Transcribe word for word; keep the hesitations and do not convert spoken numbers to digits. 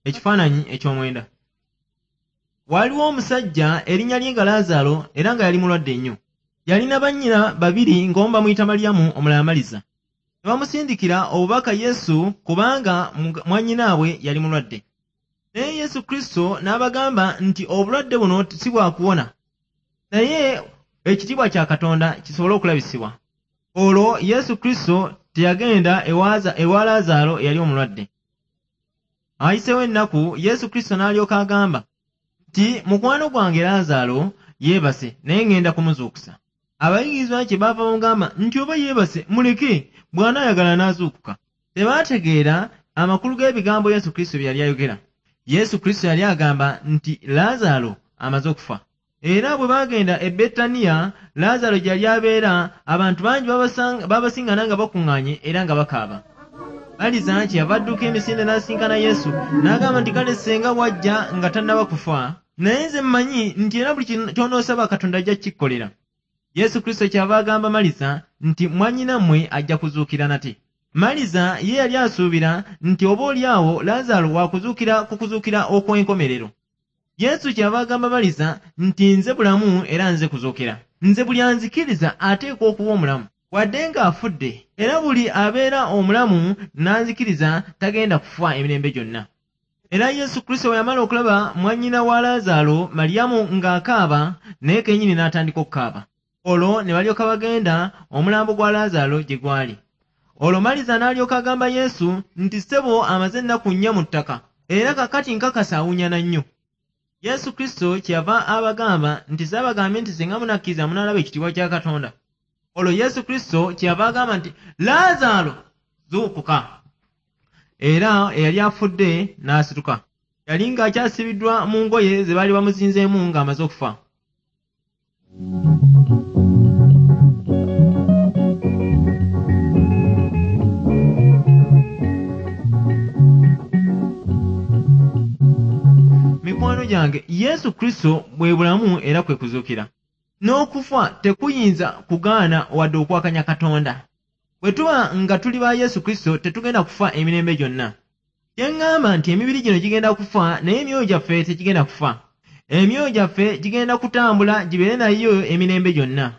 Ekifaananyi eky'omwenda. Waaliwo omusajja erinnya lye nga Laazaalo era nga yali mulwadde nnyo. Yalina bannyina babiri ng'omu bamuyita Maliyamu omulala Maliza. Ne bamusindikira obubaka Yesu kubanga mwannyinaabwe yali mulwadde. Naye Yesu Kristo n'abagamba nti obulwadde buno si bwa kuwona, naye ekitiibwa kya Katonda kisobole okulabisibwa. Olwo Yesu Kristo teyagenda ewa Laazaalo eyali omulwadde. Ayiseewo ennaku Yesu Kristo n'alyoka agamba nti mukwano gwange Laazaalo yeebase naye ŋŋenda kumuzuukusa. Abayigirizwa kye baava bamugamba nti oba yeebase muleke, bw'anaayagala n'azuukuka. Tebaategeera amakulu g'ebigambo Yesu Kristo bye yali ayogera. Yesu Kristo yali agamba nti Laazaalo amaze okufa. Era bwe baagenda e Betaniya, Laazaalo gye yali abeera, abantu bangi babasingana nga bakuŋŋaanye era nga bakaaba. Maliza kyeyava adduka emisinde n'asinkana Yesu n'agamba nti kale ssenga wajja nga tannaba kufa, naye nze mmanyi nti era buli ky'onoosaba Katonda ajja kukikukolera. Yesu Kristo kyeyava agamba Maliza nti mwannyinammwe ajja kuzuukira nate. Maliza ye yali asuubira nti oboolyawo Laazaalo waakuzuukira ku kuzuukira okw'enkomerero. Yesu kyeyava agamba Maliza nti nze bulamu era nze kuzuukira. Nze buli anzikiriza ateekwa okuba omulamu wadde ng'afudde, era buli abeera omulamu n'anzikiriza tagenda kufa emirembe gyonna. Era Yesu Kristo bwe yamala okulaba mwannyina wa Laazaalo Maliyamu ng'akaaba, naye kennyini n'atandika okukaaba. Olwo ne balyoka bagenda omulambo gwa Laazaalo gye gwali. Olwo Maliza n'alyoka agamba Yesu nti ssebo amaze ennaku nnya mu ttaka, era kaakati nkakasa awunyana nnyo. Yesu Kristo kyeyava abagamba nti saabagambye nti singa munakkiriza munaalaba ekitiibwa kya Katonda. Olwo Yesu Kristo kyeyava agamba nti Laazaalo zuukuka. Era eyali afudde n'asituka. Yali ng'akyasibiddwa mu ngoye ze baali bamuzinzeemu ng'amaze okufa. Mikwano gyange, Yesu Kristo bwe bulamu era kwe kuzuukira. N'okufa tekuyinza kugaana wadde okwakanya Katonda. Bwe tuba nga tuli ba Yesu Kristo tetugenda kufa emirembe gyonna. Kye ŋŋamba nti emibiri gino gigenda kufa naye emyoyo gyaffe tegigenda kufa. Emyoyo gyaffe gigenda kutambula gibeere nayo emirembe gyonna.